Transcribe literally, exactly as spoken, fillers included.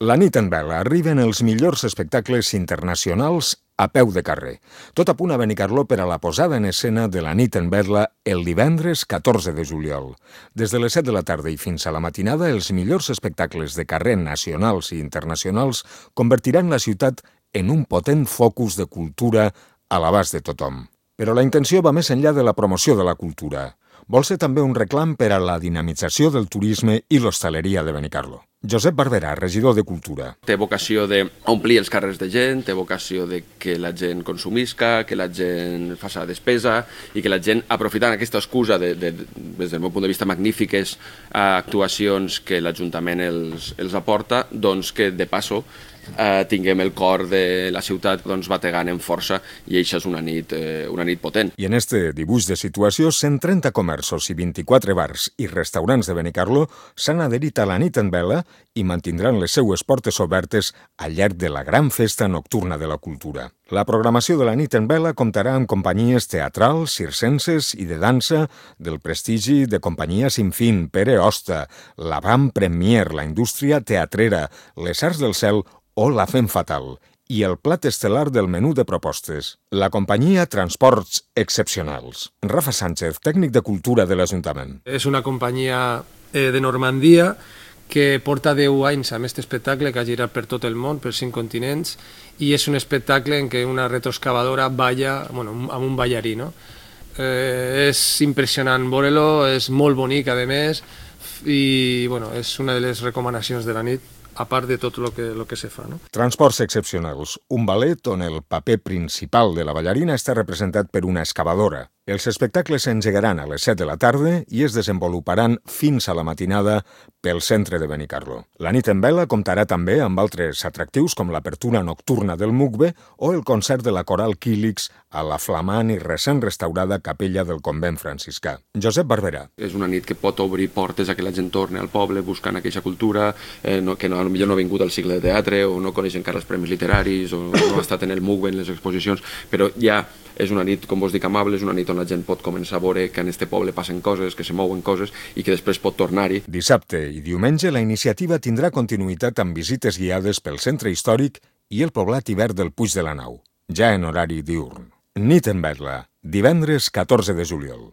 La nit en vela arriben els millors espectacles internacionals a peu de carrer. Tot a punt a Benicarló per a la posada en escena de la nit en vela el divendres catorze de juliol. Des de les set de la tarda i fins a la matinada, els millors espectacles de carrer nacionals i internacionals convertiran la ciutat en un potent focus de cultura a l'abast de tothom. Però la intenció va més enllà de la promoció de la cultura. Vol ser també un reclam per a la dinamització del turisme i l'hostaleria de Benicarló. Josep Barberà, regidor de Cultura. Té vocació d'omplir els carrers de gent, té vocació de que la gent consumisca, que la gent faci despesa i que la gent, aprofitant aquesta excusa de, de, des del meu punt de vista, magnífiques actuacions que l'Ajuntament els, els aporta, doncs que de passo eh, tinguem el cor de la ciutat doncs, bategant en força i això és una nit, eh, una nit potent. I en este dibuix de situació, cent trenta comerços i vint-i-quatre bars i restaurants de Benicarló s'han adherit a la nit en vela i mantindran les seues portes obertes al llarg de la gran festa nocturna de la cultura. La programació de la nit en vela comptarà amb companyies teatrals, circenses i de dansa del prestigi de Companyia Sinfín, Pere Hosta, la Vam Premier, la indústria teatrera, les Arts del Cel o la Fem Fatal, i el plat estel·lar del menú de propostes, la companyia Transports Excepcionals. Rafa Sánchez, tècnic de Cultura de l'Ajuntament. És una companyia eh, de Normandia que porta deu anys amb aquest espectacle que ha girat per tot el món, per cinc continents, i és un espectacle en què una retroexcavadora balla, bueno, amb un ballarí, no? Eh, és impressionant veure-lo, és molt bonic, a més, i bueno, és una de les recomanacions de la nit, a part de tot el que, lo que se fa. No? Transports Excepcionals, un ballet on el paper principal de la ballarina està representat per una excavadora. Els espectacles s'engegaran a les set de la tarda i es desenvoluparan fins a la matinada pel centre de Benicarló. La nit en vela comptarà també amb altres atractius com l'apertura nocturna del Mugbe o el concert de la coral Quílix a la flamant i recent restaurada capella del convent franciscà. Josep Barberà. És una nit que pot obrir portes a que la gent torni al poble buscant aquella cultura, eh, no, que no, potser no ha vingut al cicle de teatre o no coneix encara els premis literaris o no ha estat en el Mugbe, en les exposicions, però ja és una nit, com vos dic, amable, és una nit on la gent pot començar a veure que en este poble passen coses, que se mouen coses i que després pot tornar-hi. Dissabte i diumenge la iniciativa tindrà continuïtat amb visites guiades pel centre històric i el poblat hivern del Puig de la Nau, ja en horari diürn. Nit en vela, divendres catorze de juliol.